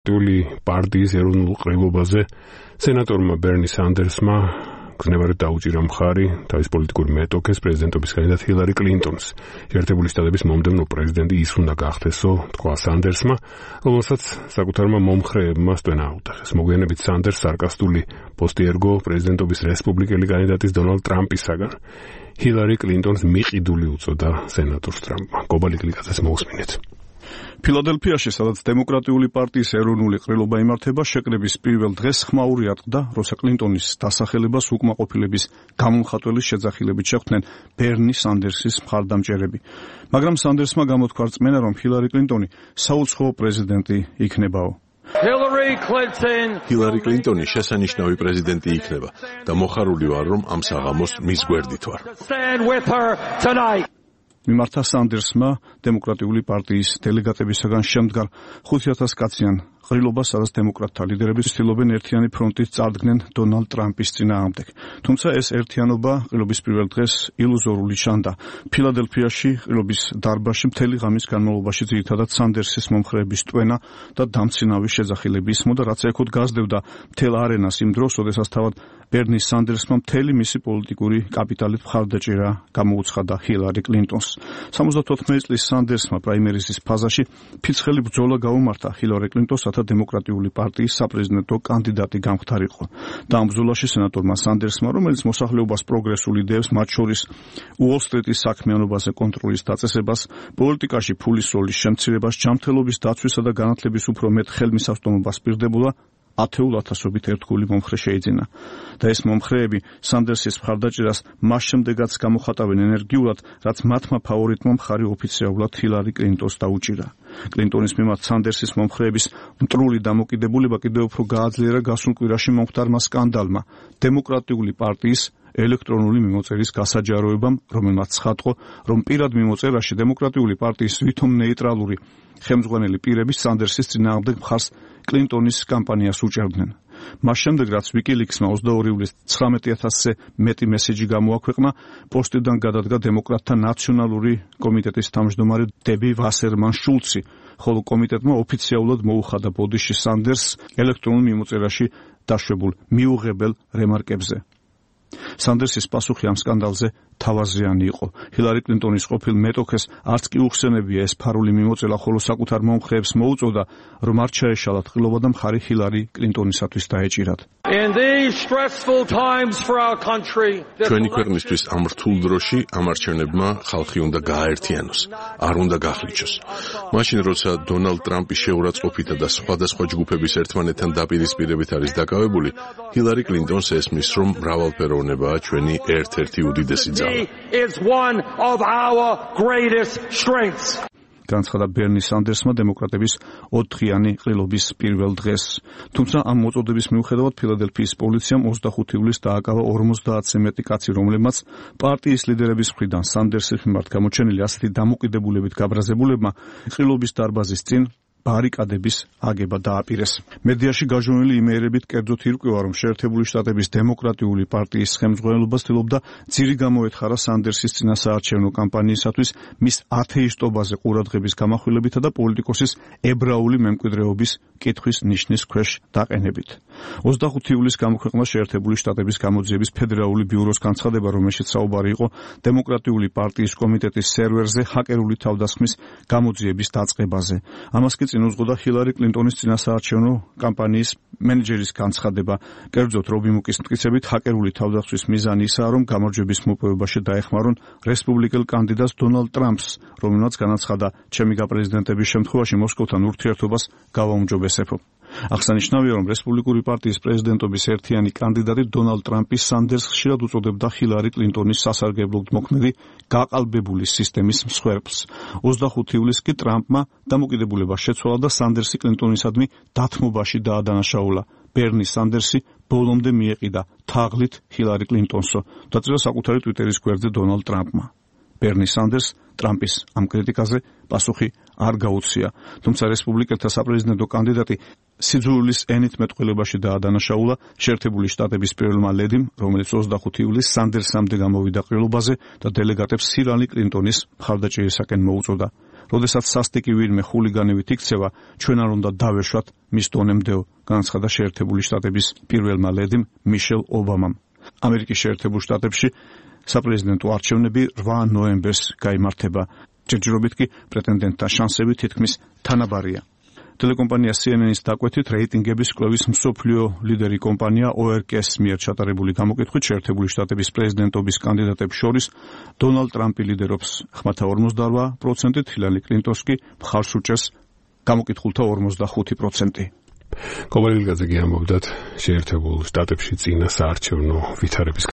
პარტიის ეროვნულ ყრილობაზე სენატორმა ბერნი სანდერსმა გრძნებადად დაუჭირა მხარი თავის პოლიტიკური მეტოქეს პრეზიდენტობის კანდიდატ ჰილარი კლინტონს. ერთებული შტატების მომდევნო პრეზიდენტი ის უნდა გახდესო, თქვა სანდერსმა, რომელსაც საკუთარმა მომხრეებმა სტვენა აუტახეს. მოგვიანებით სანდერს სარკასტული პოსტი ერგო პრეზიდენტობის რესპუბლიკელი კანდიდატის დონალდ ტრამპისაგან. ჰილარი კლინტონს მიყიდული უწოდა სენატორს ტრამპმა. გობალი კლიკაძეს მოусმინეთ. ფილადელფიაში, სადაც დემოკრატიული პარტიის ეროვნული ყრილობა იმართება, შეკრების პირველ დღეს ხმაური ატყდა, როცა კლინტონის დასახელებას უკმაყოფილების გამომხატველი შეძახილებით შეხვდნენ ბერნი სანდერსის მხარდამჭერები. მაგრამ სანდერსმა გამოთქვა რწმენა, რომ ჰილარი კლინტონი საუცხოო პრეზიდენტი იქნებაო. ჰილარი კლინტონი შესანიშნავი პრეზიდენტი იქნება და მოხარული ვარ, რომ ამ საღამოს მის გვერდით ვარ. მიმართა სანდერსმა დემოკრატიული პარტიის დელეგატებისაგან შემდგარ 5,000 კაციან ყრილობას, სადაც დემოკრატთა ლიდერები ცდილობენ ერთიანი ფრონტით წარდგნენ დონალდ ტრამპის წინააღმდეგ. თუმცა ეს ერთიანობა ყრილობის პირველ დღეს ილუზორული ჩანდა. ფილადელფიაში ყრილობის დარბაზში მთელი ღამის განმავლობაში ძირითადად სანდერსის მომხრეების ტვენა და დამცინავი შეძახილები ისმოდა, რაც ეკოთ გაზრდებდა მთელ არენას იმ დროს, როდესაც თავად ბერნი სანდერსმა მთელი მისი პოლიტიკური კაპიტალით მხარდაჭერა გამოუცხადა ჰილარი კლინტონს. 74 წლის სანდერსმა პრაიმერიზის ფაზაში ფიცხელი ბრძოლა გაუმართა ჰილარი კლინტონს, რათა დემოკრატიული პარტიის საპრეზიდენტო კანდიდატი გამხდარიყო. და ამ ბრძოლაში სენატორმა სანდერსმა, რომელიც მოსახლეობას პროგრესულ იდეებს, მათ შორის უოლ-სტრიტის საქმიანობაზე კონტროლის დაწესებას, პოლიტიკაში ფულის როლის შემცირებას, ჯანმრთელობის დაცვისა და განათლების უფრო მეტ ხელმისაწვდომობას პირდებულა, 10,000-ობით ერთგული მომხრე შეიძინა. და ეს მომხრეები სანდერსის მხარდაჭერას მას შემდეგაც გამოხატავენ ენერგიულად, რაც მათმა ფავორიტმა მხარი ოფიციალურად ჰილარი კლინტონს დაუჭირა. კლინტონის მიმართ სანდერსის მომხრეების მტრული დამოკიდებულება კიდევ უფრო გააძლიერა გასულ კვირაში მომხდარმა სკანდალმა, დემოკრატიული პარტიის ელექტრონული მიმოწერის გასაჯაროებამ, რომელმაც ცხადყო, რომ პირად მიმოწერაში დემოკრატიული პარტიის ვითომ ნეიტრალური ხელმძღვანელი პირები სანდერსის წინააღმდეგ მხარს კლინტონის კამპანიას უჭერდნენ. მას შემდეგ, რაც ვიკილიქსმა 22 ივლისს 19,000-ზე მეტი მესეჯი გამოაქვეყნა, პოსტიდან გადადგა დემოკრატთა ნაციონალური კომიტეტის თავმჯდომარე დები ვასერმან შულცი, ხოლო კომიტეტმა ოფიციალურად მოუხადა ბოდიში სანდერსს ელექტრონულ მიმოწერაში დაშვებულ მიუღებელ რემარკებზე. სანდერსის პასუხი ამ სკანდალზე თავაზიანი იყო. ჰილარი კლინტონის ყოფილ მეტოქეს არც კი უხსენებია ეს ფარული მიმოწერა, ხოლო საკუთარ მომხრეებს მოუწოდა, რომ არ ჩაეშალათ ყრილობა და მხარი ჰილარი კლინტონისათვის დაეჭირათ. ჩვენი ქვეყნისთვის ამ რთულ დროში ამ არჩევნებმა ხალხი უნდა გააერთიანოს, არ უნდა გახლიჩოს. მაშინ, როცა დონალდ ტრამპის შეურაცხყოფითა და სხვადასხვა ჯგუფების ერთმანეთთან დაპირისპირებით არის დაკავებული, ჰილარი კლინტონს ესმის, რომ მრავალფეროვნებაა ჩვენი ერთ-ერთი უდიდესი ძალა. განცხადა ბერნი სანდერსმა დემოკრატების 4-იანი ყრილობის პირველ დღეს. თუმცა ამ მოწოდების მიუხედავად ფილადელფიის პოლიციამ 25 ივლისს დააკავა 50-ზე მეტი კაცი, რომლებმაც პარტიის ლიდერების მხრიდან სანდერსის მიმართ გამოჩენილი ასეთი დამოკიდებულებით გაბრაზებულებმა ყრილობის დარბაზის წინ ბარიკადების აგება დააპირეს. მედიაში გაჟონილი იმეერებით კერძოდ ირკვევა, რომ შეერთებული შტატების დემოკრატიული პარტიის ხელმძღვანელობა ცდილობდა ძირი გამოეთხარა სანდერსის წინასაარჩევნო კამპანიისათვის მის ათეისტობაზე ყურადღების გამახვილებითა და პოლიტიკოსის ებრაული მემკვიდრეობის კითხვის ნიშნის ქვეშ დაყენებით. 25 ივლისს გამოქვეყნდა შეერთებული შტატების გამოძიების ფედერალური ბიუროს განცხადება, რომელშიც საუბარი იყო დემოკრატიული პარტიის კომიტეტის სერვერზე ჰაკერული თავდასხმის გამოძიების დაწყებაზე. ამას კი წინ უძღოდა ჰილარი კლინტონის წინასაარჩევნო კამპანიის მენეჯერის განცხადება. კერძოდ რობი მუკის მტკიცებით, ჰაკერული თავდასხმის მიზანი ისაა, რომ გამარჯვების მოპოვებაში დაეხმარონ რესპუბლიკელ კანდიდატს დონალდ ტრამპს, რომელმაც განაცხადა, ჩემი გაპრეზიდენტების შემთხვევაში მოსკოვთან ურთიერთობას გავაუმჯობესებო. აღსანიშნავია, რომ რესპუბლიკური პარტიის პრეზიდენტობის ერთიანი კანდიდატი დონალდ ტრამპი სანდერსს ხშირად უწოდებდა ჰილარი კლინტონის სასარგებლოდ მოქმედი გაყალბებული სისტემის მსხვერპლს. 25 ივლისს კი ტრამპმა დამოკიდებულება შეცვალა და სანდერსი კლინტონისადმი დათმობაში დაადანაშაულა. ბერნი სანდერსი ბოლომდე მიეყიდა თაღლით ჰილარი კლინტონსო, დაწერა საკუთარი ტვიტერის გვერდზე დონალდ ტრამპმა. ბერნი სანდერს ტრამპის ამ კრიტიკაზე პასუხი არ გაუცია, თუმცა რესპუბლიკელთა საპრეზიდენტო კანდიდატი სიძულვილის ენით მეტყველებაში დაადანაშაულა შეერთებული შტატების პირველმა ლედიმ, რომელიც 25 ივლისს სანდერსამდე გამოვიდა ყრილობაზე და დელეგატებს ჰილარი კლინტონის მხარდაჭერისაკენ მოუწოდა. როდესაც სასტიკი ვინმე ხულიგანივით იქცევა, ჩვენ არ უნდა დავეშვათ მის დონემდე, განაცხადა შეერთებული შტატების პირველმა ლედიმ მიშელ ობამამ. ამერიკის შეერთებულ შტატებში საპრეზიდენტო არჩევნები 8 ნოემბერს გაიმართება. ჯერჯერობით კი პრეტენდენტთა შანსები თითქმის თანაბარია. ტელეკომპანია CNN-ის დაკვეთით რეიტინგების კვლევის მსოფლიო ლიდერი კომპანია ORK-ს მიერ ჩატარებული გამოკითხვით შეერთებული შტატების პრეზიდენტობის კანდიდატებს შორის დონალდ ტრამპი ლიდერობს 48%, ჰილარი კლინტონს კი მხარს უჭერს გამოკითხულთა 45%. კოვალილგაძე ამბობდათ შეერთებულ შტატებში წინა საარჩევნო ვითარების